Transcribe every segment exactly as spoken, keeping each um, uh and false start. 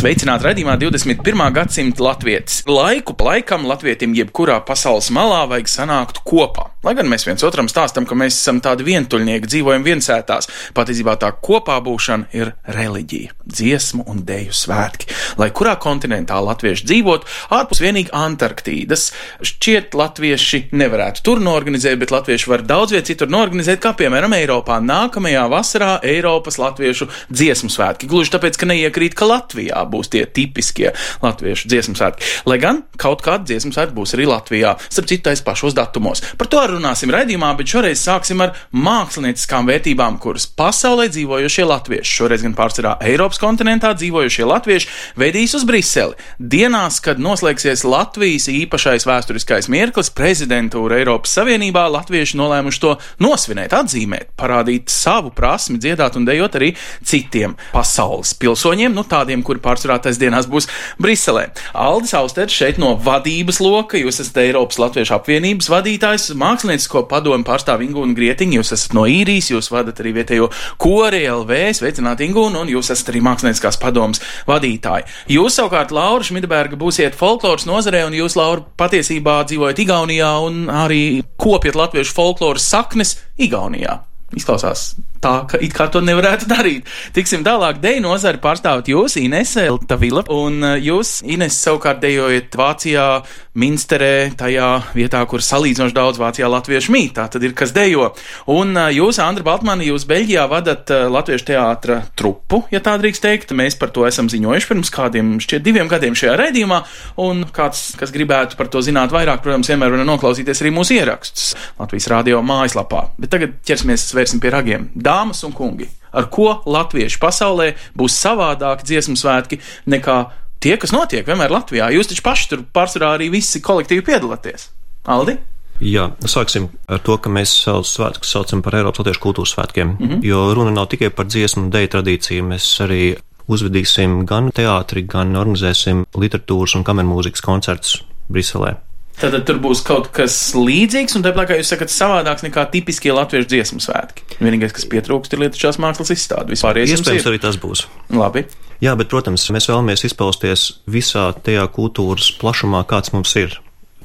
Sveicināti raidījumā divdesmit pirmā gadsimta latvietis. Laiku pa laikam latvietim jebkurā pasaules malā vajag sanākt kopā. Lai gan mēs viens otram stāstam, ka mēs esam tādi vientuļnieki, dzīvojam viensētās, patiesībā tā kopā būšana ir reliģija, dziesmu un deju svētki. Lai kurā kontinentā latvieši dzīvot, ārpus vienīgi Antarktīdas, šķiet latvieši nevarētu tur norganizēt, bet latvieši var daudz viet citur norganizēt, kā piemēram Eiropā. Nākamajā vasarā Eiropas latviešu dziesmu svētki. Gluži tāpēc, ka neiekrīt, ka Latvijā būs tie tipiskie latviešu dziesmu svētki. Lai gan kaut kāda dziesmu svētki būs arī Latvijā, starp citu tais pašos datumos. Par to runāsim raidījumā, bet šoreiz sāksim ar mākslinieckām vērtībām, kuras pasaulē dzīvojošie latvieši, šoreiz gan pārsvarā Eiropas kontinentā dzīvojošie latvieši, veidīs uz Briseli. Dienās, kad noslēgsies Latvijas īpašais vēsturiskais mirklis, prezidentūra Eiropas Savienībā, latvieši nolēmuši to nosvinēt, atzīmēt, parādīt savu prasmi dziedāt un dejot arī citiem pasaules pilsoņiem, nu tādiem, kuri pārsvarā tais dienās būs Briselē. Aldis Austers šeit no vadības loka, jūs esat Eiropas Latviešu apvienības vadītājs, māksliniecisko padomu pārstāv Ingūna Grietiņa, jūs esat no Īrijas, jūs vadat arī vietējo kori L V, sveicināt Ingūna, un jūs esat arī mākslinieckās padomas vadītāji. Jūs savukārt, Laura Šmidberga, būsiet folkloras nozarē, un jūs, Laura, patiesībā dzīvojat Igaunijā un arī kopjat latviešu folkloras saknes Igaunijā. Izklausās tā, ka it kā to nevarētu darīt. Tiksim tālāk, deju nozari pārstāvat jūs, Inese Tavila, un jūs, Ines, savukārt dejojat Vācijā, Minsterē, tajā vietā, kur salīdzinoši daudz Vācijā latviešu mīt, tā tad ir, kas dejo. Un jūs, Andra Baltmani, jūs Beļģijā vadat latviešu teātra trupu, ja tā drīkst teikt. Mēs par to esam ziņojuši pirms kādiem šķiet diviem gadiem šajā raidījumā, un kāds, kas gribētu par to zināt vairāk, protams, vienmēr var noklausīties arī mūsu ierakstus Latvijas radio mājaslapā. Bet tagad ķersimies vērsim pie ragiem. Dāmas un kungi, ar ko latvieši pasaulē būs savādāk dziesmu svētki nekā tie, kas notiek vienmēr Latvijā? Jūs taču paši tur pārsvarā arī visi kolektīvi piedalāties. Aldi? Jā, sāksim ar to, ka mēs savus svētkus saucam par Eiropas Latviešu kultūras svētkiem, mm-hmm. jo runa nav tikai par dziesmu un deju tradīciju, mēs arī uzvedīsim gan teātri, gan organizēsim literatūras un kamermūzikas koncertus Briselē. Tātad tur būs kaut kas līdzīgs, un tāpēc, kā jūs sakat, savādāks nekā tipiskie latviešu dziesmu svētki. Vienīgais, kas pietrūkst, ir lietišķās mākslas izstāde. Iespējams, arī tas būs. Labi. Jā, bet, protams, mēs vēlamies izpausties visā tajā kultūras plašumā, kāds mums ir.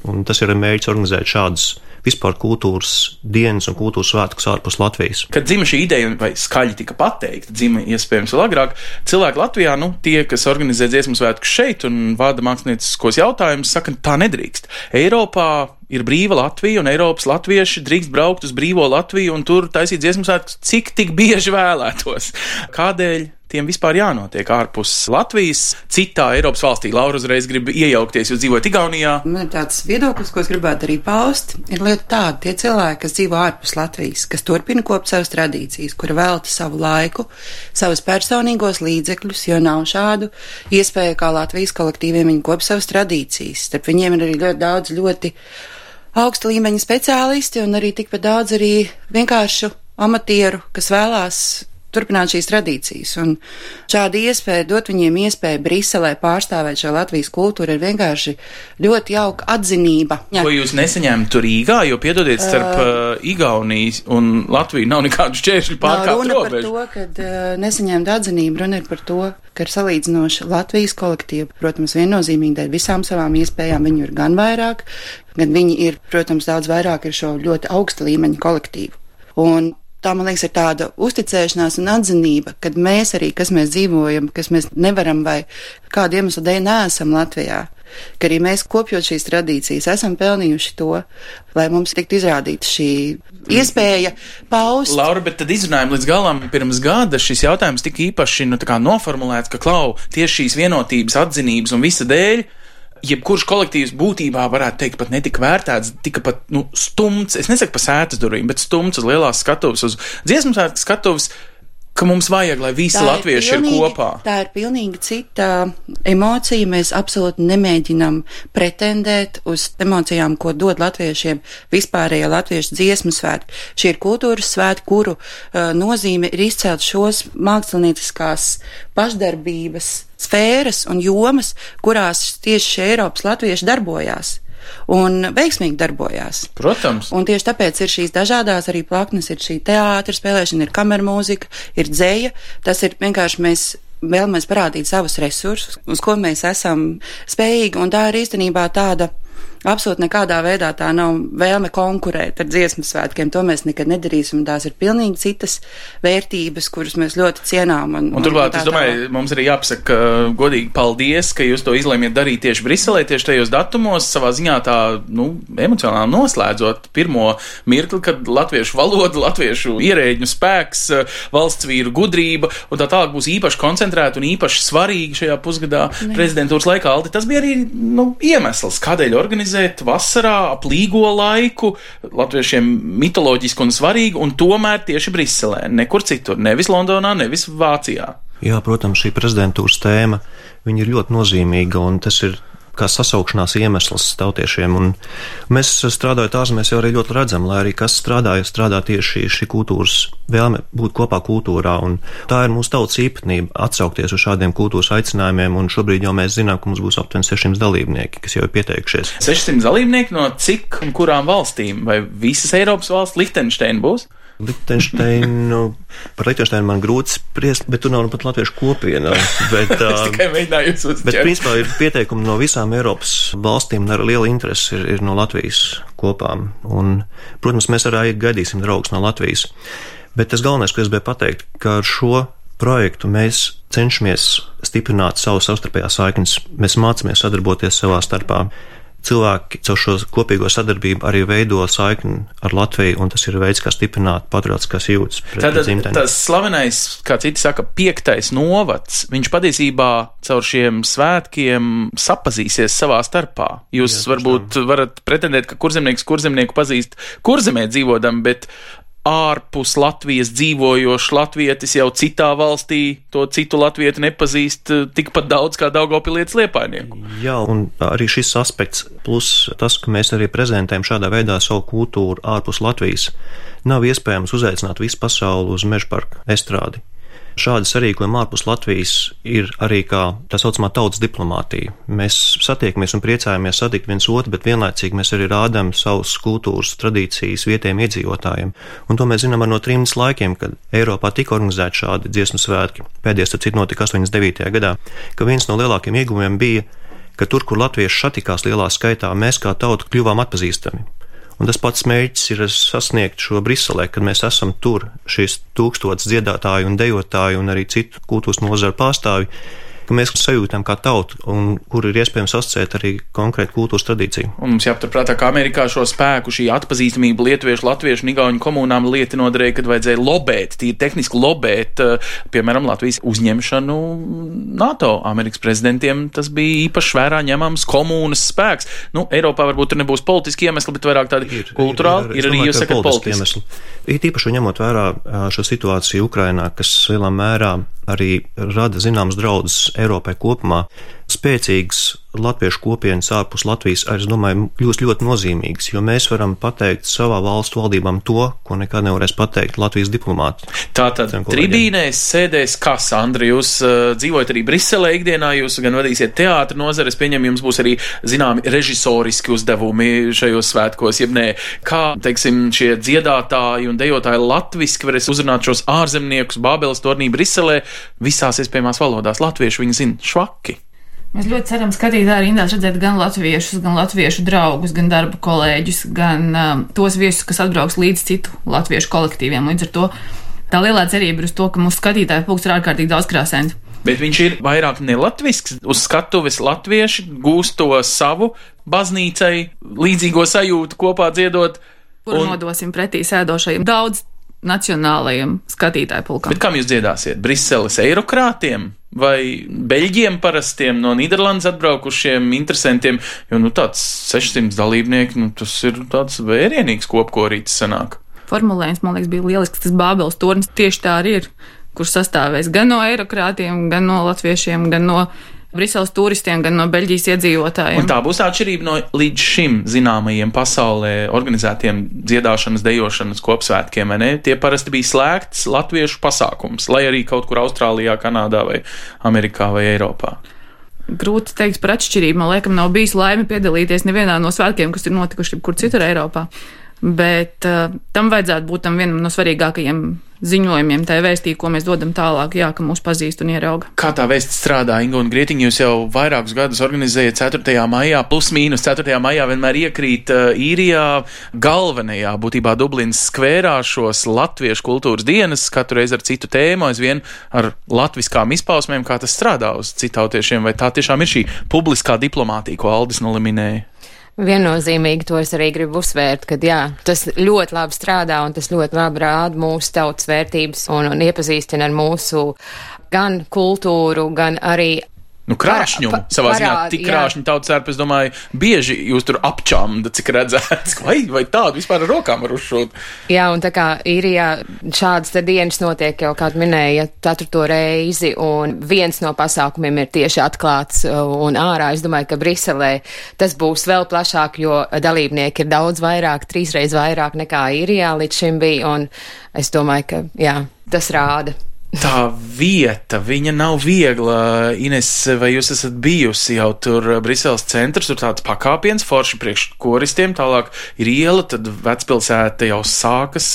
Un tas ir mērķis organizēt šādas vispār kultūras dienas un kultūras svētkus ārpus Latvijas. Kad dzima šī ideja, vai skaļi tika pateikta, dzima iespējams vēl agrāk, cilvēki Latvijā, nu, tie, kas organizē dziesmu svētkus šeit un vada mākslinieciskos jautājumus, saka, tā nedrīkst. Eiropā ir brīva Latvija, un Eiropas latvieši drīkst braukt uz brīvo Latviju un tur taisīt dziesmu svētkus, cik tik bieži vēlētos. Kādēļ tiem vispār jānotiek ārpus Latvijas, citā Eiropas valstī? Laura uzreiz grib iejaukties, jūs dzīvojat Igaunijā. Man ir tāds viedoklis, ko es gribētu arī paust, ir lieta tāda, tie cilvēki, kas dzīvo ārpus Latvijas, kas turpina kopt savas tradīcijas, kuri velta savu laiku, savus personīgos līdzekļus, jo nav šādu iespēju, kā Latvijas kolektīviem viņi kop savas tradīcijas. Starp viņiem ir arī ļoti daudz ļoti augsta līmeņa speciālisti un arī tikpat daudz arī vienkāršu amatieru, kas vēlās turpināt šīs tradīcijas, un šāda iespēja dot viņiem iespēju Briselē pārstāvēt šo Latvijas kultūru ir vienkārši ļoti jauka atzinība. Jā. Ko jūs nesaņēmat tur Rīgā, jo piedodiet, starp uh, Igaunijas un Latviju nav nekādu šķēršļu pārkāpt robežu. Nav runa par to, kad uh, nesaņemt atzinību, runa ir par to, ka ir salīdzinoši Latvijas kolektīva, protams, viennozīmīgi dēļ visām savām iespējām, viņu ir gan vairāk, gan viņi ir, protams, daudz vairāk ir šo ļoti augsta līmeņa kolektīvu. Un tā, man liekas, ir tāda uzticēšanās un atzinība, kad mēs arī, kas mēs dzīvojam, kas mēs nevaram vai kādu iemeslu dēļ neesam Latvijā, ka arī mēs kopjot šīs tradīcijas esam pelnījuši to, lai mums tiktu izrādīta šī iespēja paust. Laura, bet tad izrunājam līdz galam pirms gada šis jautājums tika īpaši nu, tā kā noformulēts, ka klau tieši šīs vienotības, atzinības un visa dēļ jebkurš kolektīvs būtībā varētu teikt pat netika vērtēts, tika pat, nu, stumts, es nesaku pa sētas durvīm, bet stumts uz lielās skatuves, uz dziesmu svētku skatuves, ka mums vajag, lai visi latvieši ir, pilnīgi, ir kopā. Tā ir pilnīgi cita emocija. Mēs absolūti nemēģinam pretendēt uz emocijām, ko dod latviešiem vispārējie latviešu dziesmu svētki. Šie ir kultūras svētki, kuru uh, nozīme ir izcelt šos mākslinieciskās pašdarbības sfēras un jomas, kurās tieši šie Eiropas latvieši darbojās. Un veiksmīgi darbojās. Protams. Un tieši tāpēc ir šīs dažādās arī plaknes, ir šī teātra spēlēšana, ir kamermūzika, ir dzeja. Tas ir vienkārši mēs vēlamies parādīt savus resursus, uz ko mēs esam spējīgi, un tā ir īstenībā tāda absolūti nekādā veidā tā nav vēlme konkurēt ar dziesmu svētkiem. To mēs nekad nedarīsim. Tās ir pilnīgi citas vērtības, kuras mēs ļoti cienām. Un, un turklāt, un es domāju, tā. Mums arī jāpasaka godīgi paldies, ka jūs to izlēmiet darīt tieši Briselē, tieši tajos datumos, savā ziņā tā, nu, emocionāli noslēdzot pirmo mirkli, kad latviešu valoda, latviešu ierēģu spēks, valsts vīru gudrība un tā tālāk būs īpaši koncentrēta un īpaši svarīga šajā pusgadā ne. prezidentūras laikā. Aldi, tas bija arī, nu, iemesls, kādēļ organizēt vasarā ap līgo laiku, latviešiem mitoloģiski un svarīgi, un tomēr tieši Briselē, nekur citur, nevis Londonā, nevis Vācijā. Jā, protams, šī prezidentūras tēma, viņa ir ļoti nozīmīga, un tas ir kā sasaukšanās iemesls tautiešiem, un mēs strādājot ārzemēs jau arī ļoti redzam, lai arī kas strādāja, strādā tieši šī kultūras vēlme būt kopā kultūrā, un tā ir mūsu tautas īpatnība atsaukties uz šādiem kultūras aicinājumiem, un šobrīd jau mēs zinām, ka mums būs aptuveni sešsimt dalībnieki, kas jau ir pieteikušies. sešsimt dalībnieki no cik un kurām valstīm? Vai visas Eiropas valsts? Lichtensteina būs? Lichtensteinu, par Lichtensteinu man grūti spriest, bet tur nav nu pat latviešu kopiena. Bet, es tikai mēģināju jūs uzķert. Bet principā ir pieteikumi no visām Eiropas valstīm, un ar lielu interesi ir, ir no Latvijas kopām. Un, protams, mēs arī gaidīsim draugus no Latvijas. Bet tas galvenais, ko es biju pateikt, ka ar šo projektu mēs cenšamies stiprināt savu savstarpējās saiknes. Mēs mācāmies sadarboties savā starpā. Cilvēki caur šo kopīgo sadarbību arī veido saikni ar Latviju, un tas ir veids, kā stiprināt patriotiskās jūtas pret dzimteni. Tātad tas slavenais, kā citi saka, piektais novads, viņš patiesībā caur šiem svētkiem sapazīsies savā starpā. Jūs Jā, varbūt varat pretendēt, ka kurzemnieks kurzemnieku pazīst kurzemē dzīvodam, bet ārpus Latvijas dzīvojošs latvietis jau citā valstī to citu latvieti nepazīst tikpat daudz kā Daugavpilietis Liepājnieku. Jā, un arī šis aspekts, plus tas, ka mēs arī prezentējam šādā veidā savu kultūru ārpus Latvijas, nav iespējams uzaicināt visu pasauli uz Mežaparka estrādi. Šādi sarīkojumi ārpus Latvijas ir arī kā tā saucamā tautas diplomātija. Mēs satiekamies un priecājamies satikt viens otru, bet vienlaicīgi mēs arī rādām savus kultūras tradīcijas vietējiem iedzīvotājiem. Un to mēs zinām ar no trījus laikiem, kad Eiropā tika organizēti šādi dziesmu svētki. Pēdējais tad cits notika astoņdesmit devītajā gadā, ka viens no lielākiem ieguvumiem bija, ka tur, kur latvieši satikās lielā skaitā, mēs kā tauta kļuvām atpazīstami. Un tas pats mērķis ir sasniegt šo Briselē, kad mēs esam tur, šīs tūkstotis dziedātāju un dejotāju un arī citu kultūras nozaru pārstāvi, ka mēs sajūtam kā tautu un kur ir iespējams asociēt arī konkrētu kultūras tradīciju. Un mums jāpaturprātā, ka Amerikā šo spēku, šī atpazīstamība lietuviešu, latviešu un igauņu komunām lieti noderēja, kad vajadzēja lobēt, tīri tehniski lobēt, piemēram, Latvijas uzņemšanu NATO. Amerikas prezidentiem tas bija īpaši vērā ņemams komunas spēks. Nu, Eiropā varbūt tur nebūs politiski iemesli, bet vairāk tādi ir, kulturāli, ir, ir, ir arī, jūs sakat, politiski iemesli. Ir īpaši ņemot vērā šo situāciju Ukrainā, kas lielā mērā arī rada zināmas draudus Eiropai kopumā. Spēcīgas latviešu kopienas ārpus Latvijas, es domāju, kļūst ļoti nozīmīgas, jo mēs varam pateikt savā valstu valdībām to, ko nekad nevarēs pateikt Latvijas diplomāti. Tātad tribīnēs sēdēs kas, Andri, jūs uh, dzīvojat arī Briselē ikdienā, jūs gan vadīsiet teātra nozari, es pieņemu, jums būs arī zināmi režisoriski uzdevumi šajos svētkos, jeb nē, kā, teiksim, šie dziedātāji un dejotāji latviski varēs uzrunāt šos ārzemniekus Bābeles tornī Briselē visās iespējamās valodās. Latviešu viņi zina švaki. Mēs ļoti ceram skatītāji rindās redzēt gan latviešus, gan latviešu draugus, gan darba kolēģus, gan um, tos viesus, kas atbrauks līdz citu latviešu kolektīviem. Līdz ar to tā lielā cerība ir uz to, ka mūsu skatītāju pulks ir ārkārtīgi daudzkrāsains. Bet viņš ir vairāk nelatvisks, uz skatuves latvieši gūst to savu baznīcai līdzīgo sajūtu kopā dziedot. Kuru un... nodosim pretī sēdošajiem daudz nacionālajiem skatītāju pulkam. Bet kam jūs dziedāsiet? Briseles eirokrātiem vai Beļģiem parastiem no Nīderlandes atbraukušiem interesantiem? Jo, nu, tāds sešsimt dalībnieki, nu, tas ir tāds vērienīgs kopkorītis sanāk. Formulējums, man liekas, bija lielisks, tas Bābeles tornis tieši tā arī ir, kurš sastāvēs gan no eirokrātiem, gan no latviešiem, gan no Briseles turistiem, gan no Beļģijas iedzīvotājiem. Un tā būs atšķirība no līdz šim zināmajiem pasaulē organizētiem dziedāšanas, dejošanas kopsvētkiem, vai ne? Tie parasti bija slēgts latviešu pasākums, lai arī kaut kur Austrālijā, Kanādā vai Amerikā vai Eiropā. Grūti teikt par atšķirību. Man liekas, nav bijis laime piedalīties nevienā no svētkiem, kas ir notikuši kur citur Eiropā. Bet uh, tam vajadzētu būt tam vienam no svarīgākajiem ziņojumiem, tai vēstī, ko mēs dodam tālāk, jā, ka mūs pazīst un ierauga. Kā tā vēsts strādā, Inga un Grietiņa, jūs jau vairākus gadus organizējat ceturtajā maijā, plus mīnus ceturtajā maijā vienmēr iekrīt uh, īrijā galvenajā, būtībā Dublinas skvērā šos latviešu kultūras dienas, katru reizi ar citu tēmu, aizvien ar latviskām izpausmēm, kā tas strādā uz citautiešiem, vai tā tiešām ir šī publiskā diplomātija, ko Aldis noliminēja? Viennozīmīgi to es arī gribu uzsvērt, ka jā, tas ļoti labi strādā un tas ļoti labi rāda mūsu tautas vērtības un, un iepazīstina ar mūsu gan kultūru, gan arī Nu, krāšņumu, Par, pa, savā ziņā, parād, tik jā. krāšņi tautas ērpa, es domāju, bieži jūs tur apčamda, cik redzēts, vai, vai tādu vispār ar rokām var uzšūt. Jā, un tā kā īrijā šādas te dienas notiek jau, kā minēja, ceturto reizi, un viens no pasākumiem ir tieši atklāts un ārā. Es domāju, ka Briselē tas būs vēl plašāk, jo dalībnieki ir daudz vairāk, trīsreiz vairāk nekā īrijā līdz šim bija, un es domāju, ka, jā, tas rāda. Tā vieta, viņa nav viegla. Ines, vai jūs esat bijusi jau tur Briseles centrs, tur tāds pakāpiens, forši priekš koristiem, tālāk ir iela, tad vecpilsēta jau sākas,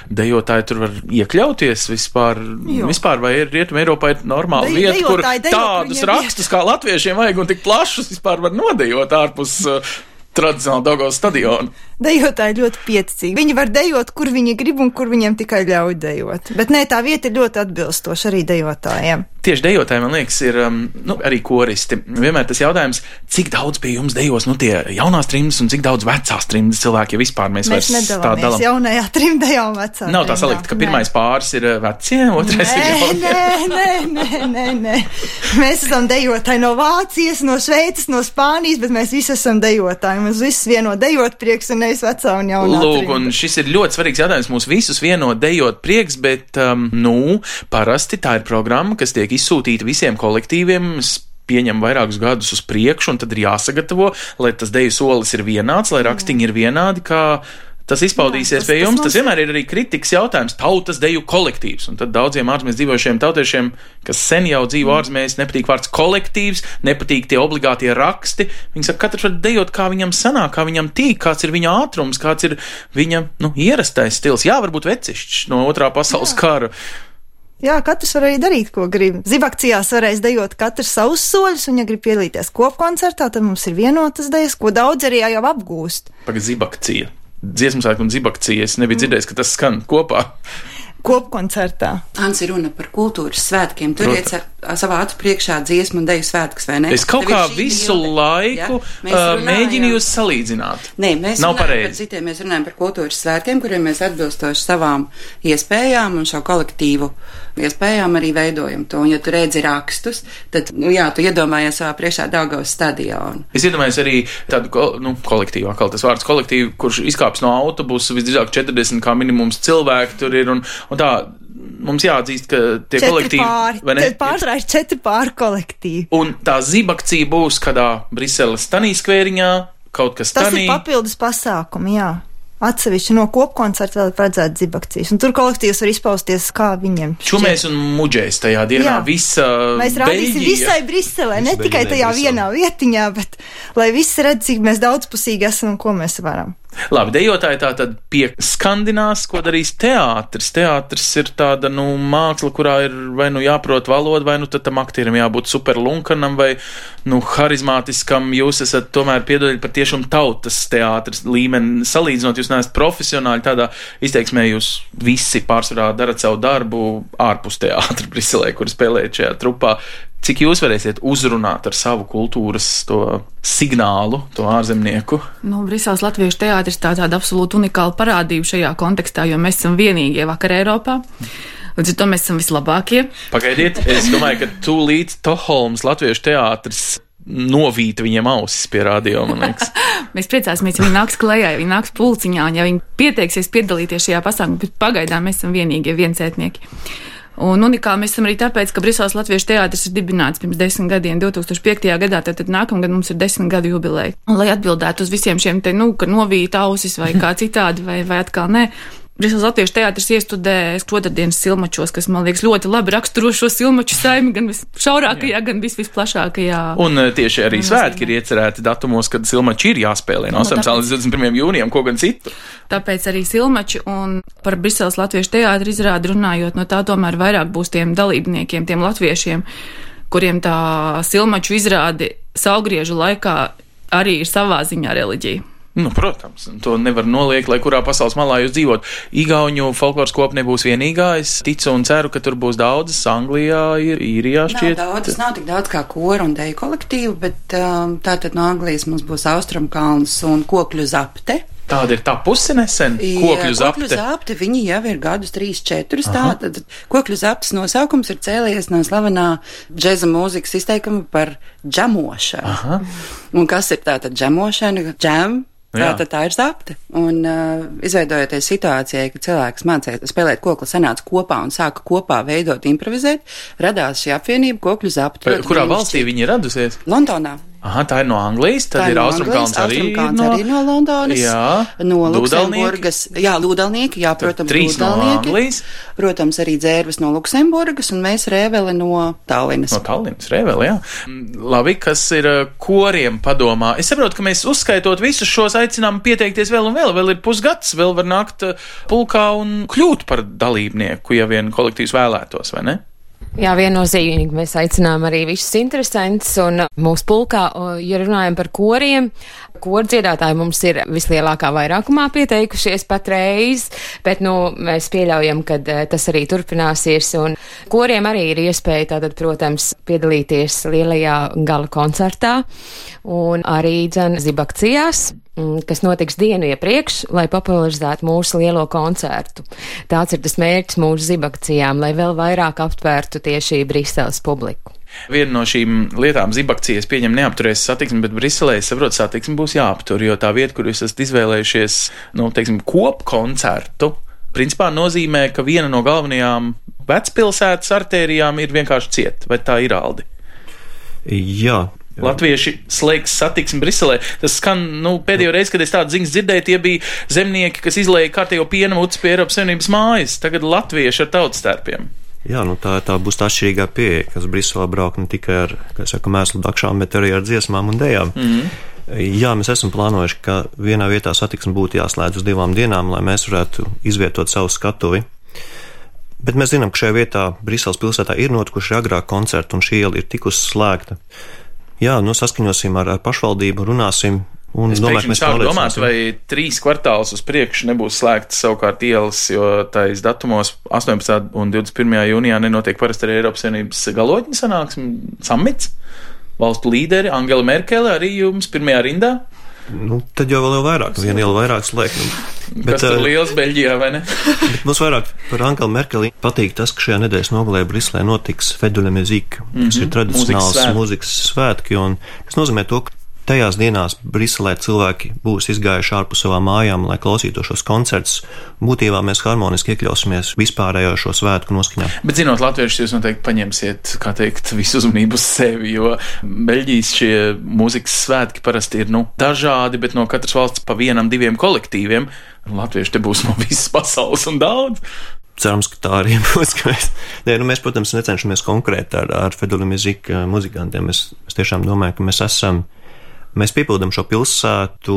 dejotāji tur var iekļauties vispār, jo. vispār vai ir Rietuma Eiropā ir normāla De, vieta, kur dejotāji, tādus dejo, rakstus kā latviešiem vajag un tik plašus vispār var nodejot ārpus uh, tradicionāli Daugavas stadionu. Dejotāji ļoti pieticīgi. Viņi var dejot, kur viņi grib un kur viņiem tikai ļauj dejot. Bet nē, tā vieta ir ļoti atbilstoša arī dejotājiem. Tieši dejotājiem, man liekas, ir um, nu, arī koristi. Vienmēr tas jautājums, cik daudz pie jums dejos, nu, tie jaunās trimdas un cik daudz vecās trimdas cilvēki, ja vispār mēs, mēs vairs tā dalam. Mēs jaunajā trimdajā un vecā. Nav tā salikt, ka pirmais nē. pāris ir vecie, otrais nē, ir jaunie. Nē, nē, nē, nē, nē. Mēs esam dejotāji no Vācijas, no Šveices, no Spānijas, bet mēs visi esam dejotāji. Mums visus vieno dejot prieks un nevis vecā un jaunā. Lūk, un šis ir ļoti svarīgs jautājums. Mūs visus vieno dejot prieks, bet, um, nu, parasti tā ir programma, kas tiek izsūtīta visiem kolektīviem, pieņem vairākus gadus uz priekšu, un tad ir jāsagatavo, lai tas deju solis ir vienāds, lai rakstiņi ir vienādi, kā tas izpaudīsies Jā, tas, pie jums. Tas, tas vienmēr ir arī kritikas jautājums, tautas deju kolektīvs, un tad daudziem ārzemēs dzīvojušiem tautiešiem, kas sen jau dzīvo ārzemēs, nepatīk vārds kolektīvs, nepatīk tie obligātie raksti. Viņi saka, katrs var dejot, kā viņam sanāk, kā viņam tīk, kāds ir viņa ātrums, kāds ir viņa, nu, ierastais stils. Jā, varbūt vecišķs no otrā pasaules Jā. kara. Jā, katrs var arī darīt, ko grib. Zibakcijās varēs dejot katrs savus soļus, un ja grib piedalīties kopkoncertā, tad mums ir vienotas dejas, ko daudz arī jau apgūst. Pagad zibakcija. Dziesmu svētku un zibakcija. Es nebiju dzirdējis, ka tas skan kopā. Kopkoncertā. Ants ir runa par kultūras svētkiem. Turiet savā acu priekšā dziesmu un deju svētkus, vai ne? Es kaut kā visu bilde. laiku ja? uh, mēģinu jūs salīdzināt. Nē, mēs Nav runājam pareizi. par citiem, mēs runājam par kultūras svētkiem, kuriem mēs atbilstoši savām iespējām un šo kolektīvu iespējām arī veidojam to. Un ja tu redzi rakstus, tad, nu jā, tu iedomājies savā priekšā Daugavas stadionu. Es iedomājos arī tādu, nu, kolektīvu, atkal tas vārds kolektīvu, kurš izkāps no autobusa, visdrīzāk četrdesmit kā minimums cilvēki tur ir, un, un tā, mums jāatzīst, ka tie četri kolektīvi, pāri, vai ne? Pārsvarā ir četri pāri kolektīvi. Un tā zibakcija būs kādā Briseles tanī skvēriņā, kaut kas Tas tanī. Tas ir papildus pasākumi, jā. Atsevišķi no kopkoncerta vēl ir paredzēta zibakcijas, un tur kolektīvs var izpausties, kā viņiem šķiet. Čumēs un muģēs tajā dienā Jā. visa Mēs rādīsim Beļģija. visai Briselē, ne Visu tikai Beļģijai tajā Briselē. vienā vietiņā, bet lai visi redz, cik mēs daudzpusīgi esam un ko mēs varam. Labi, dejotāji tā tad pieskandinās, ko darīs teātris. Teātris ir tāda, nu, māksla, kurā ir vai nu jāprot valoda, vai nu tad tam aktierim jābūt superlunkanam vai, nu, harizmātiskam. Jūs esat tomēr piedodiet par tiešām tautas teātris līmeni. Salīdzinot, jūs neesat profesionāļi tādā izteiksmē, jūs visi pārsvarā darat savu darbu ārpus teātra Briselē, kur spēlējat šajā trupā. Cik jūs varēsiet uzrunāt ar savu kultūras to signālu, to ārzemnieku? Nu, Briseles latviešu teātris tā tāda absolūti unikāla parādība šajā kontekstā, jo mēs esam vienīgie vakar Eiropā. Līdz ar to mēs esam vislabākie. Pagaidiet, es domāju, ka tūlīt Toholmas latviešu teātris novīta viņiem ausis pie radio, man liekas. Mēs priecāsimies, ja viņi nāks klējā, ja viņi nāks pulciņā, un ja viņi pieteiksies piedalīties šajā pasākumā, bet pagaidām mēs esam vienīgie viensētnieki. Un unikāli mēs esam arī tāpēc, ka Briseles latviešu teātris ir dibināts pirms desmit gadiem, divs tūkstoš piektajā gadā, tad, tad nākamgad mums ir desmit gadu jubileja. Un, lai atbildētu uz visiem šiem te, nu, ka novīt ausis vai kā citādi, vai, vai atkal nē, Briseles Latviešu teātris iestudē otrdienas silmačos, kas, man liekas, ļoti labi raksturo šo silmaču saimi gan visšaurākajā, gan vis visplašākajā. Un tieši arī svētki ir iecerēti datumos, kad silmači ir jāspēlē no astoņpadsmitā līdz divdesmit pirmajam jūnijam, ko gan citu. Tāpēc arī silmači un par Briseles Latviešu teātri izrādi runājot, no tā tomēr vairāk būs tiem dalībniekiem, tiem latviešiem, kuriem tā silmaču izrādi saulgriežu laikā arī ir savā ziņā reliģija. Nu, protams, to nevar noliekt, lai kurā pasaules malā jūs dzīvot. Igauņu folkloras kopa nebūs vienīgā, es ticu un ceru, ka tur būs daudzas, Anglijā ir, Īrijā šķiet. Nav daudz, nav tik daudz kā kora un deju kolektīvu, bet um, tātad no Anglijas mums būs Austrumkalns un Kokļu zapte. Tāda ir tā pusi nesen, Kokļu zapte. Kokļu zapte, viņi jau ir gadus trīs, četrus, tātad Kokļu zaptes nosaukums ir cēlies no slavenā džeza mūzikas izteikuma par džamošanu. Aha. Un kas ir tātad džamošana? Džam. Tātad tā ir zapte. Un uh, izveidojoties situācijai, ka cilvēks mācīja spēlēt kokli, sanāca kopā un sāka kopā veidot, improvizēt, radās šī apvienība Kokļu zapte. Kurā valstī viņi ir radusies? Londonā. Aha, tā ir no Anglijas, tad ir Austrumkalns arī, no, arī no Londonas, jā, no Luksemburgas, jā, Lūdalnieki, jā, protams, trīs no Anglijas, protams, arī dzērves no Luksemburgas, un mēs Rēveli no Tallinas. No Tallinas, Rēveli, jā. Labi, kas ir koriem padomā? Es saprotu, ka mēs uzskaitot visus šos aicinām pieteikties vēl un vēl, vēl ir pusgads, vēl var nākt pulkā un kļūt par dalībnieku, ja vien kolektīvs vēlētos, vai ne? Jā, viennozīmīgi mēs aicinām arī visus interesantus un mūsu pulkā, ja runājam par koriem, koru dziedātāji mums ir vislielākā vairākumā pieteikušies patreiz, bet, nu, mēs pieļaujam, ka tas arī turpināsies, un koriem arī ir iespēja tātad, protams, piedalīties lielajā gala koncertā un arī, dzen, zibakcijās, kas notiks dienu iepriekš, lai popularizētu mūsu lielo koncertu. Tāds ir tas mērķis mūsu zibakcijām, lai vēl vairāk aptvērtu tieši Briseles publiku. Viena no šīm lietām zibakcijas pieņem neapturēs satiksmi, bet Briselē, es saprotu, satiksmi būs jāaptur, jo tā vieta, kur jūs esat izvēlējušies, nu, teiksim, kopkoncertu, principā nozīmē, ka viena no galvenajām vecpilsētas artērijām ir vienkārši ciet, vai tā ir, Aldi? Jā. Latvieši slēgs satiksmi Briselē. Tas skan, nu, pēdējo reizi, kad es tādu ziņas dzirdēju, tie bija zemnieki, kas izlēja kārtējo piena mucu pie Eiropas Savienības mājas. Tagad latvieši ar tautstērpiem. Jā, nu tā, tā būs tā atšķirīgā pieeja, kas Briselē brauc ne tikai ar, kā saka, mēslu dakšām, bet arī ar dziesmām un dejām. Mm-hmm. Jā, mēs esam plānojuši, ka vienā vietā satiksmi būtu jāslēdz uz divām dienām, lai mēs varētu izvietot savu skatuvi. Bet mēs zinām, ka šajā vietā Briseles pilsētā ir notikuši agrāk koncerti, un šī iela ir tikusi slēgta. Jā, nu saskaņosim ar, ar pašvaldību, runāsim. Un es domāju, mēs sāku domāt, vai trīs kvartālus uz priekšu nebūs slēgtas savukārt ielas, jo tais datumos astoņpadsmitajā un divdesmit pirmajā jūnijā nenotiek parasti arī Eiropas Savienības galotņu sanāksme, samits, valstu līderi, Angela Merkele arī jums pirmajā rindā. Nu, tad jau vēl jau vairāk, viena iela vairāk slēgt. Bet, kas tur liels Beļģijā, vai ne? Bet mums vairāk par Angelu Merkeli patīk tas, ka šajā nedēļas nogalē Briselē notiks Fête de la Musique, mm-hmm. kas ir tradicionāls mūzikas, mūzikas svētki, un tas nozīmē to, ka tajās dienās Briselē cilvēki būs izgājuši ārpus savām mājām, lai klausītos šos koncertus. Būtībā mēs harmoniski iekļausimies vispārējo šo svētku noskaņā. Bet zinot latviešus, jūs noteikti paņemsiet, kā teikt, visu uzmanību uz sevi, jo Beļģijas šie mūzikas svētki parasti ir, nu, dažādi, bet no katras valsts pa vienam, diviem kolektīviem. Latvieši te būs no visas pasaules un daudz. Cerams, ka tā arī būs. Mēs, ne, nu, mēs, protams, necenšamies konkrēti ar, ar Fête de la Musique muzikantiem. Mēs, mēs tiešām domājam, ka mēs esam Mēs piepildam šo pilsētu,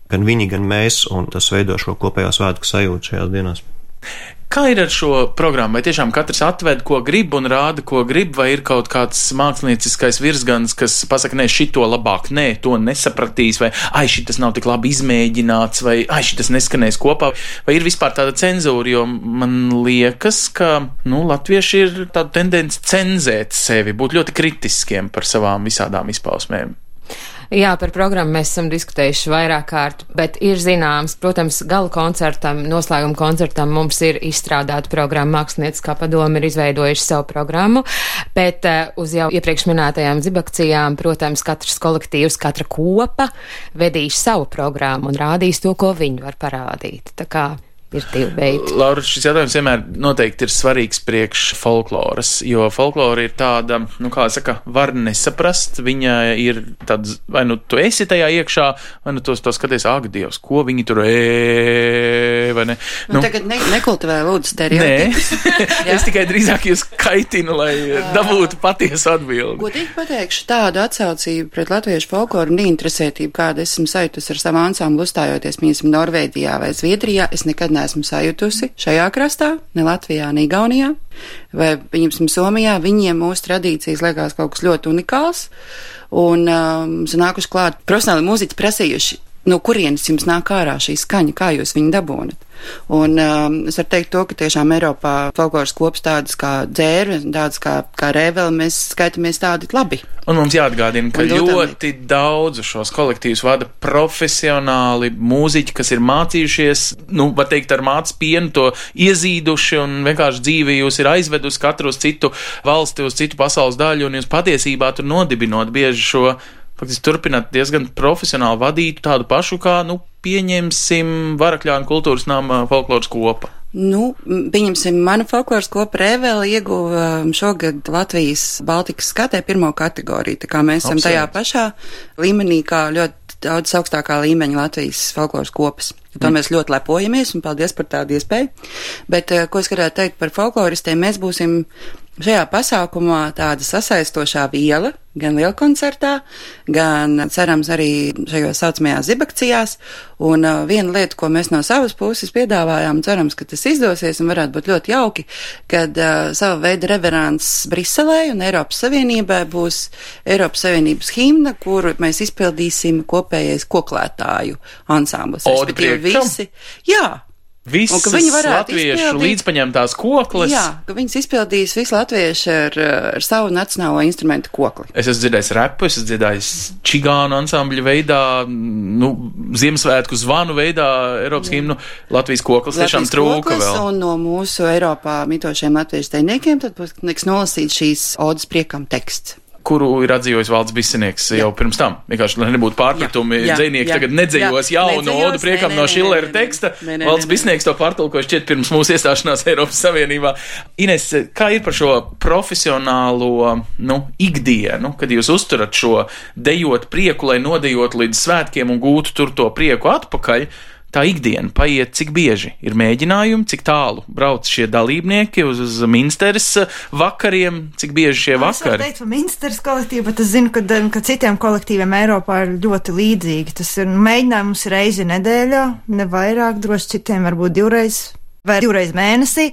gan viņi, gan mēs, un tas veido šo kopējo svētku sajūtu šajās dienās. Kā ir ar šo programmu? Vai tiešām katrs atved, ko grib un rāda, ko grib, vai ir kaut kāds mākslinieckais virsgans, kas pasaka, nē, šito labāk, nē, to nesapratīs, vai ai, šitas nav tik labi izmēģināts, vai ai, šitas neskanēs kopā, vai ir vispār tāda cenzūra, jo man liekas, ka, nu, latvieši ir tāda tendence cenzēt sevi, būt ļoti kritiskiem par savām visādām izpausmēm. Jā, par programmu mēs esam diskutējuši vairāk kārt, bet ir zināms, protams, gala koncertam, noslēguma koncertam mums ir izstrādāta programma, mākslinieckā padome ir izveidojuši savu programmu, bet uh, uz jau iepriekš minētajām zibakcijām, protams, katrs kolektīvs, katra kopa vedīs savu programmu un rādīs to, ko viņi var parādīt. Tā kā ir divi veidi. Laura, šis jautājums vienmēr noteikti ir svarīgs priekš folkloras, jo folklora ir tāda, nu kā saka, var nesaprast, viņa ir tāds, vai nu tu esi tajā iekšā, vai nu tu to skaties, ak, Dievs, ko viņi tur ē, vai ne? Nu, nu tagad ne, nekultivē lūdzu stereotipus. Nē, es tikai drīzāk jūs kaitinu, lai dabūtu patiesu atbildi. Godīgi pateikšu, tādu atsaucību pret latviešu folkloru un interesētību, kāda esmu sajutus ar savu ansamblu uzstājoties, piemēram, Norvēģijā vai Zviedrijā, es nekad neesmu sajutusi šajā krastā, ne Latvijā, ne Igaunijā, vai, piemēram, Somijā. Viņiem mūsu tradīcijas liekas kaut kas ļoti unikāls, un um, nākuši klāt profesionāli mūziķi prasījuši, no kurienes jums nāk ārā šī skaņa, kā jūs viņu dabūnat. Un um, es varu teikt to, ka tiešām Eiropā folkloras kops tādas kā dzērve, tādas kā, kā rēveli, mēs skaitamies tādi labi. Un mums jāatgādina, ka ļoti daudzu šos kolektīvus vada profesionāli mūziķi, kas ir mācījušies, nu, var teikt, ar mācas pienu to iezīduši un vienkārši dzīvi jūs ir aizvedusi katru uz citu valsti, uz citu pasaules daļu, un jūs patiesībā tur nodibinot bieži šo, faktiski turpināt diezgan profesionāli vadītu tādu pašu kā, nu, pieņemsim Varakļānu kultūras nama folkloras kopa. Nu, pieņemsim, mana folkloras kopa Rēveli ieguva šogad Latvijas Baltikas skatē pirmo kategoriju, tā kā mēs esam tajā pašā līmenī, kā ļoti daudz augstākā līmeņa Latvijas folkloras kopas. To mm. mēs ļoti lepojamies un paldies par tādu iespēju. Bet, ko es gribētu teikt par folkloristiem, mēs būsim šajā pasākumā tāda sasaistošā viela, gan lielkoncertā, gan cerams arī šajos saucamajās zibakcijās. Un uh, viena lieta, ko mēs no savas puses piedāvājām, cerams, ka tas izdosies un varētu būt ļoti jauki, kad uh, sava veida reverants Briselē un Eiropas Savienībai būs Eiropas Savienības himna, kuru mēs izpildīsim kopējais koklētāju ansamblis. Visi, jā. Visas latviešu līdzpaņemtās kokles. Jā, ka viņas izpildīs visu latviešu ar, ar savu nacionālo instrumentu kokli. Es esmu dzirdējis repu, es esmu dzirdējis čigānu ansambļu veidā, nu, Ziemassvētku zvanu veidā Eiropas himnu. Latvijas koklis tiešām trūka vēl. Un no mūsu Eiropā mitošiem latviešu teiniekiem tad būs nolasīt šīs odas priekam teksts, kuru ir atzījis Valds Bisenieks jau pirms tam. Vienkārši, lai nebūtu pārpratumi, dzejnieki tagad nedzējos jaunu odu priekam no Šillera teksta. Valds Bisenieks to pārtulkoja šķiet pirms mūsu iestāšanās Eiropas Savienībā. Ines, kā ir par šo profesionālo, nu, ikdienu, kad jūs uzturat šo dejot prieku, lai nodejot līdz svētkiem un gūtu tur to prieku atpakaļ? Tā ikdiena paiet cik bieži? Ir mēģinājumi, cik tālu brauc šie dalībnieki uz, uz Minsteres vakariem, cik bieži šie vakari? Es varu teikt par Minsteres kolektīvu, bet es zinu, ka, ka citiem kolektīviem Eiropā ir ļoti līdzīgi. Tas ir mēģinājums reizi nedēļā, ne vairāk, droši citiem varbūt divreiz vai divreiz mēnesī.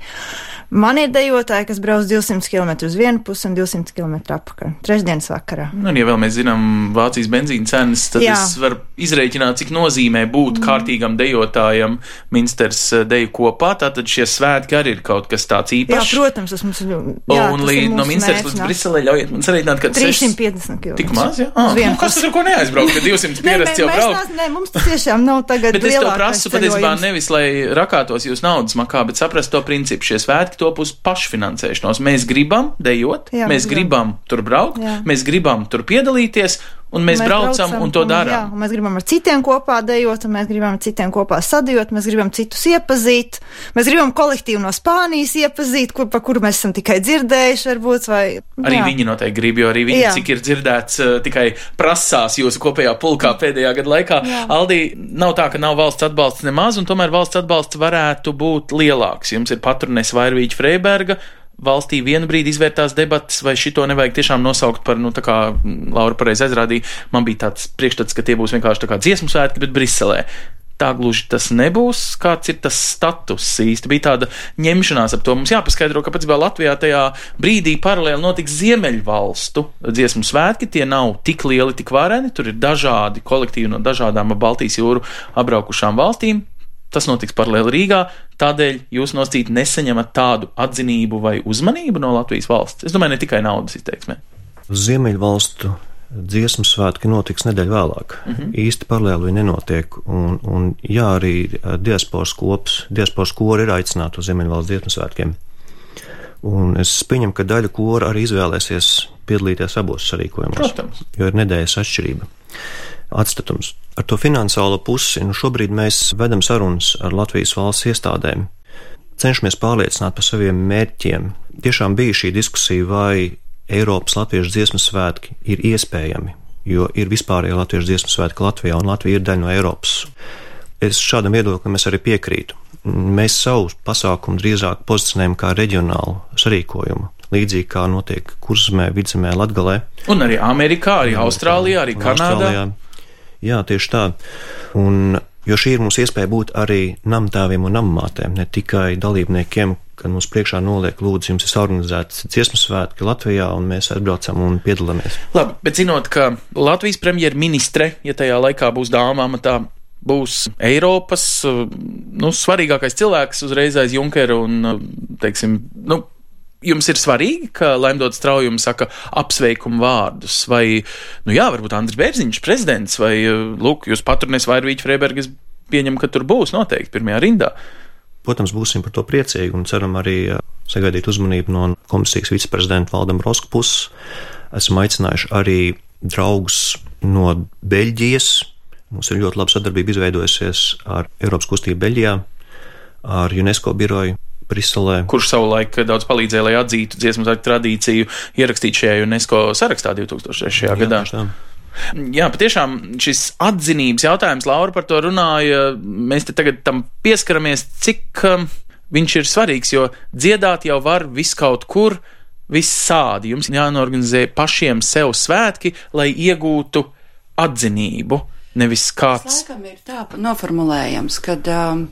Man ir dejotāji, kas brauc divsimt kilometrus uz vienu pusi un divsimt kilometru atpakaļ. Trešdienas vakarā. Nu, un ja vēl mēs zinām Vācijas benzīna cenas, tad Jā. es varu izrēķināt, cik nozīmē būt mm. kārtīgam dejotājam Minsteres deju kopā. Tātad šie svētki arī ir kaut kas tāds īpašs. Jā, protams, tas mums ir. Jā, un līdz no Minsteres līdz Briselē ļaujiet man sarīdināt, ka trīssimt piecdesmit kilometri. Tik maz, jā? Ah, nu, kas tas ar ko neaizbraukt, ka divsimt pierasts jau braukt? Nē, mums tas tiešām nav tagad bet es to prasu patiesībā nevis, lai rakātos jūs naudas makā, bet saprast to principu. Šie svētki top uz pašfinansēšanos. Mēs gribam dejot, jā, mēs gribam. gribam tur braukt, jā. mēs gribam tur piedalīties, un mēs, mēs braucam, braucam un to darām. Jā, un mēs gribam ar citiem kopā dejot, un mēs gribam ar citiem kopā sadejot, mēs gribam citus iepazīt, mēs gribam kolektīvu no Spānijas iepazīt, kur, pa kuru mēs esam tikai dzirdējuši, varbūt, vai... Arī jā. viņi noteikti grib, jo arī viņi, jā. cik ir dzirdēts, uh, tikai prasās jūsu kopējā pulkā pēdējā gada laikā. Jā. Aldī, nav tā, ka nav valsts atbalsts nemaz, un tomēr valsts atbalsts varētu būt lielāks. Jums ir patronēs Vairvīķa Freiberga, valstī vienu brīdi izvērtās debatas, vai šito nevajag tiešām nosaukt par, nu, tā kā Laura pareizi aizrādīja, man bija tāds priekšstats, ka tie būs vienkārši tā kā dziesmu svētki, bet Briselē. Tā gluži tas nebūs, kāds ir tas status īsti. Bija tāda ņemšanās ap to. Mums jāpaskaidro, ka pats vēl Latvijā tajā brīdī paralēli notiks Ziemeļvalstu dziesmu svētki, tie nav tik lieli, tik vareni, tur ir dažādi kolektīvi no dažādām Baltijas jūru apbraukušām valstīm. Tas notiks paralēli Rīgā, tādēļ jūs nosacīt nesaņemat tādu atzinību vai uzmanību no Latvijas valsts. Es domāju, ne tikai naudas izteiksmē. Ziemeļvalstu dziesmu svētki notiks nedēļu vēlāk. Mm-hmm. Īsti paralēli viņi nenotiek, un, un jā, arī diasporas kops, diasporas kori ir aicināti uz Ziemeļvalstu dziesmu svētkiem. Un es pieņemu, ka daļa kora arī izvēlēsies piedalīties abos sarīkojumos, Protams. jo ir nedēļas atšķirība. atstatums. Ar to finansiālo pusi, nu šobrīd mēs vedam sarunas ar Latvijas valsts iestādēm, cenšamies pārliecināt par saviem mērķiem. Tiešām bija šī diskusija, vai Eiropas latviešu dziesmu svētki ir iespējami, jo ir vispārēji latviešu dziesmu svētki Latvijā, un Latvija ir daļa no Eiropas. Es šādam viedoklim es arī piekrītu. Mēs savu pasākumu drīzāk pozicionējam kā reģionālu sarīkojumu, līdzīgi kā notiek Kurzemē, Vidzemē, Latgalē. Un arī Amerikā, arī Austrālijā, arī Kanādā. Austrālijā. Jā, tieši tā. Un, jo šī ir mums iespēja būt arī namtēviem un nammātēm, ne tikai dalībniekiem, kad mums priekšā noliek, lūdzu, jums ir organizēts dziesmu svētki Latvijā, un mēs atbraucam un piedalāmies. Labi, bet zinot, ka Latvijas premjerministre, ja tajā laikā būs dāma amatā, būs Eiropas, nu, svarīgākais cilvēks uzreiz aiz Junkera un, teiksim, nu, jums ir svarīgi, ka Laimdots Straujums saka apsveikumu vārdus, vai, nu jā, varbūt Andris Bērziņš, prezidents, vai, lūk, jūs paturnēs Vairvīķa Freibergas pieņem, ka tur būs noteikti pirmajā rindā. Protams, būsim par to priecīgi un ceram arī sagaidīt uzmanību no komisijas viceprezidenta Valdem Roska puses. Esam aicinājuši arī draugus no Beļģijas. Mums ir ļoti laba sadarbība izveidojusies ar Eiropas kustību Beļģijā, ar UNESCO biroju Briselē. Kurš savulaik daudz palīdzēja, lai atzītu dziesmu svētku tradīciju, ierakstīt šajā UNESCO sarakstā divs tūkstoš trešajā gadā. Jā, Jā, patiešām šis atzinības jautājums, Laura par to runāja, mēs te tagad tam pieskaramies, cik um, viņš ir svarīgs, jo dziedāt jau var viskaut kur, vissādi. Jums jānorganizē pašiem sev svētki, lai iegūtu atzinību. Nevis kāds. Tas laikam ir tā noformulējams, kad um,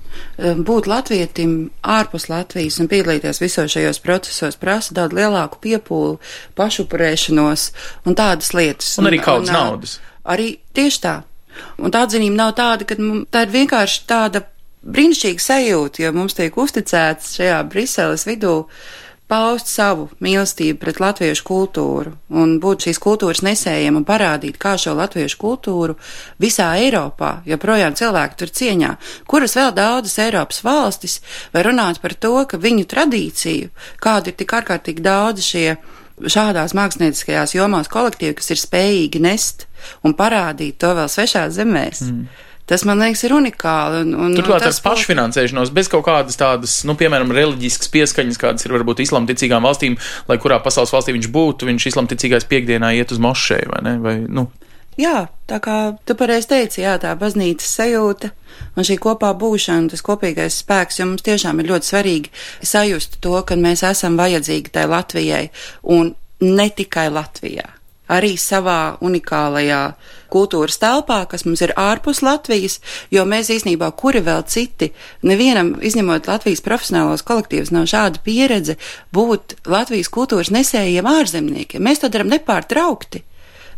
būt latvietim ārpus Latvijas un piedalīties visos šajos procesos prasa daudz lielāku piepūli, pašupurēšanos un tādas lietas. Un arī kaudzes un, naudas. Arī tieši tā. Un tā atzinība nav tāda, ka tā ir vienkārši tāda brīnišķīga sajūta, jo mums tiek uzticēts šajā Briseles vidū paust savu mīlestību pret latviešu kultūru un būt šīs kultūras nesējiem un parādīt, kā šo latviešu kultūru visā Eiropā, jo projām cilvēki tur cieņā, kuras vēl daudzas Eiropas valstis var runāt par to, ka viņu tradīciju, kādu ir tik ārkārtīgi daudz šie šādās mākslinieckajās jomās kolektīvi, kas ir spējīgi nest un parādīt to vēl svešās zemēs. Mm. Tas, man liekas, ir unikāli. Un, un, Turklāt ar pašfinansēšanos, bez kaut kādas tādas, nu, piemēram, reliģiskas pieskaņas, kādas ir varbūt islamticīgām valstīm, lai kurā pasaules valstī viņš būtu, viņš islamticīgais piekdienā iet uz mošeju, vai ne? Vai, nu. Jā, tā kā tu pareizi teici, jā, tā baznīcas sajūta un šī kopā būšana, tas kopīgais spēks, jo mums tiešām ir ļoti svarīgi sajust to, ka mēs esam vajadzīgi tai Latvijai un ne tikai Latvijā. Arī savā unikālajā kultūras telpā, kas mums ir ārpus Latvijas, jo mēs īstenībā, kuri vēl citi, nevienam, izņemot Latvijas profesionālos kolektīvus, nav šāda pieredze būt Latvijas kultūras nesējiem ārzemniekiem. Mēs to daram nepārtraukti.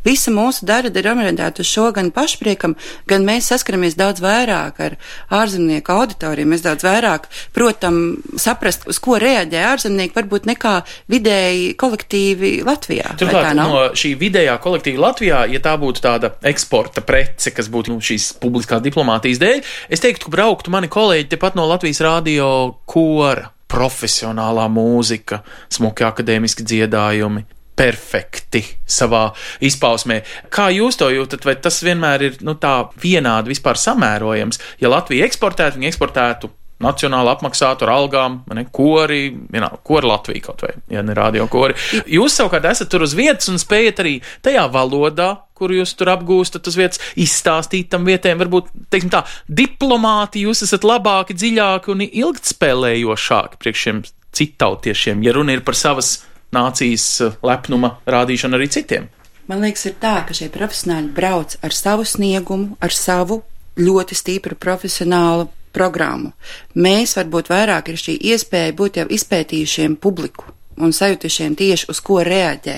Visa mūsu darba ir orientēta uz šo gan pašpriekam, gan mēs saskaramies daudz vairāk ar ārzemnieku auditoriju. Mēs daudz vairāk, protam, saprast, uz ko reaģē ārzemnieki, varbūt nekā vidēji kolektīvi Latvijā. Turklāt no šī vidējā kolektīva Latvijā, ja tā būtu tāda eksporta prece, kas būtu nu, šīs publiskās diplomātijas dēļ, es teiktu, ka brauktu mani kolēģi tepat no Latvijas radio kora, profesionālā mūzika, smuki akadēmiski dziedājumi. Perfekti savā izpausmē. Kā jūs to jūtat, vai tas vienmēr ir nu, tā vienādi vispār samērojams? Ja Latvija eksportētu, viņi eksportētu nacionāli apmaksātu ar algām, ne, kori, vienā, kori Latvija kaut vai, ja ne radio kori. Jūs savukārt esat tur uz vietas un spējat arī tajā valodā, kuru jūs tur apgūstat uz vietas, izstāstīt tam vietējiem, varbūt, teiksim tā, diplomāti jūs esat labāki, dziļāki un ilgtspēlējošāki priekš šiem citautiešiem, ja runa ir par savas nācijas lepnuma rādīšanu arī citiem. Man liekas, ir tā, ka šie profesionāļi brauc ar savu sniegumu, ar savu ļoti stipru profesionālu programmu. Mēs varbūt vairāk ir šī iespēja būt jau izpētījušiem publiku un sajutušiem tieši uz ko reaģē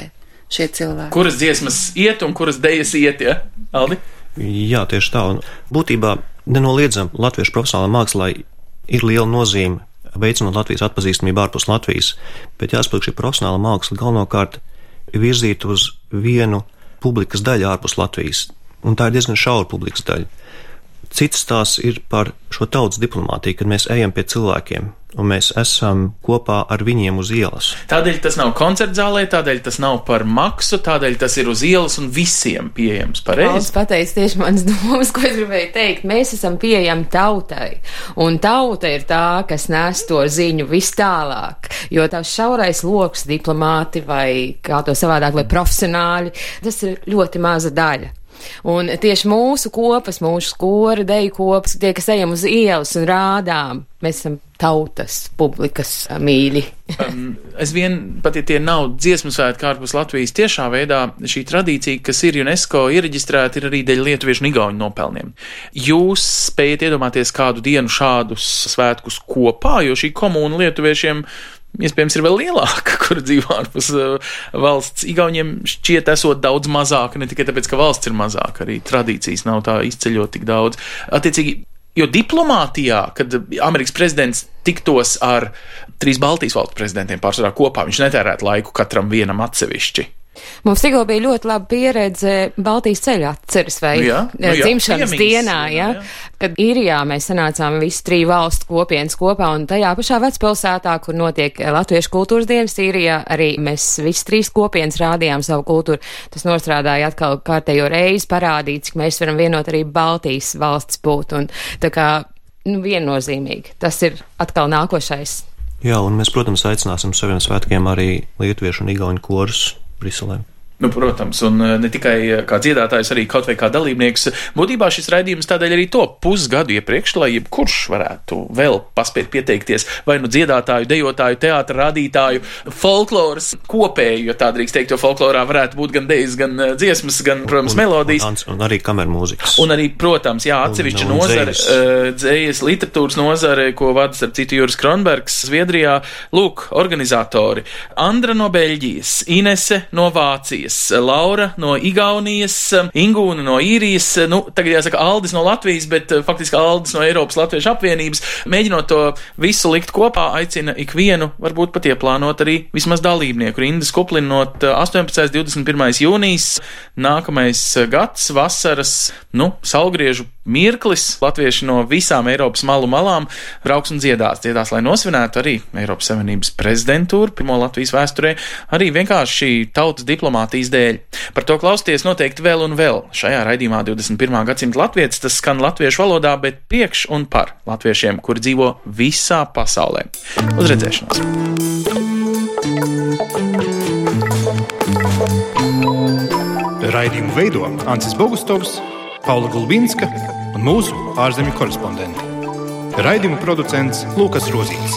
šie cilvēki. Kuras dziesmas iet un kuras dejas iet, ja? Aldi? Jā, tieši tā. Un būtībā nenoliedzam latviešu profesionālā mākslā ir liela nozīme veicinot Latvijas atpazīstamību ārpus Latvijas, bet jāsaprot, šī profesionāla māksla galvenokārt ir virzīta uz vienu publikas daļu ārpus Latvijas, un tā ir diezgan šaura publikas daļa. Cits tās ir par šo tautas diplomātiju, kad mēs ejam pie cilvēkiem un mēs esam kopā ar viņiem uz ielas. Tādēļ tas nav koncertzālē, tādēļ tas nav par maksu, tādēļ tas ir uz ielas un visiem pieejams. Pareizi? Valsts pateica tieši manas domas, ko es gribēju teikt. Mēs esam pieejami tautai, un tauta ir tā, kas nes to ziņu vis tālāk, jo tās šaurais loks diplomāti vai kā to savādāk, vai profesionāļi, tas ir ļoti maza daļa. Un tieši mūsu kopas, mūsu skora, deju kopas, tie, kas ejam uz ielas un rādām, mēs esam tautas, publikas mīļi. um, es vien, pat ja tie nav dziesmu svētki ārpus Latvijas, tiešā veidā šī tradīcija, kas ir UNESCO iereģistrēta, ir arī dēļ lietuviešu un igauņu nopelniem. Jūs spējat iedomāties kādu dienu šādus svētkus kopā, jo šī komūna lietuviešiem iespējams ir vēl lielāka, kur dzīvo ārpus uh, valsts. Igauņiem šķiet esot daudz mazāka, ne tikai tāpēc, ka valsts ir mazāka, arī tradīcijas nav tā izceļot tik daudz. Attiecīgi, jo diplomātijā, kad Amerikas prezidents tiktos ar trīs Baltijas valstu prezidentiem pārsvarā kopā, viņš netērētu laiku katram vienam atsevišķi. Mums tikko bija ļoti laba pieredze Baltijas ceļa atceres vai jā, nu jā, dzimšanas piemīgs, dienā, ja, jā. Kad Īrijā mēs sanācām visi trīs valstu kopienas kopā un tajā pašā vecpilsētā, kur notiek Latviešu kultūras dienas Īrijā, arī mēs visi trīs kopienas rādījām savu kultūru. Tas nostrādāja atkal kārtējo reizi parādīt, cik mēs varam vienot arī Baltijas valsts būt un tā kā, nu, viennozīmīgi. Tas ir atkal nākošais. Jā, un mēs, protams, aicināsim saviem svētkiem arī lietuviešu un igauņu korus Briselē. Nu, protams, un ne tikai kā dziedātājs, arī kaut vai kā dalībnieks. Būtībā šis raidījums tādēļ arī to pusgadu iepriekš, lai jebkurš varētu vēl paspēt pieteikties vai nu dziedātāju, dejotāju, teātra rādītāju, folkloras kopēju, jo tā drīkst teikt, jo folklorā varētu būt gan dejas, gan dziesmas, gan, protams, un, melodijas. Un, un arī kamermūzikas. Un arī, protams, jā, atsevišķa nozare, dzējas, literatūras nozare, ko vada starp citu Juris Kronbergs, Zviedrijā. Lūk, organizatori. Andra no Beļģijas, Inese no Vācijas, Laura no Igaunijas, Ingūna no Īrijas, nu, tagad jāsaka Aldis no Latvijas, bet faktiski Aldis no Eiropas Latviešu apvienības. Mēģinot to visu likt kopā, aicina ikvienu, varbūt pat ieplānot arī vismaz dalībnieku. Rindas kuplinot astoņpadsmitais un divdesmit pirmais jūnijas, nākamais gads, vasaras, nu, saulgriežu mirklis. Latvieši no visām Eiropas malu malām brauks un dziedās. Dziedās, lai nosvinētu arī Eiropas Savienības prezidentūru, pirmo Latvijas vēsturē, arī vienkārši šī tautas diplomātijas dēļ. Par to klausties noteikti vēl un vēl. Šajā raidījumā divdesmit pirmā gadsimta latvietis, tas skan latviešu valodā, bet priekš un par latviešiem, kuri dzīvo visā pasaulē. Uz redzēšanos! Raidījumu veido Ancis Bogustovs, Paula Gulbinska un mūsu ārzemju korespondenti. Raidījumu producents Lūkas Rozīts.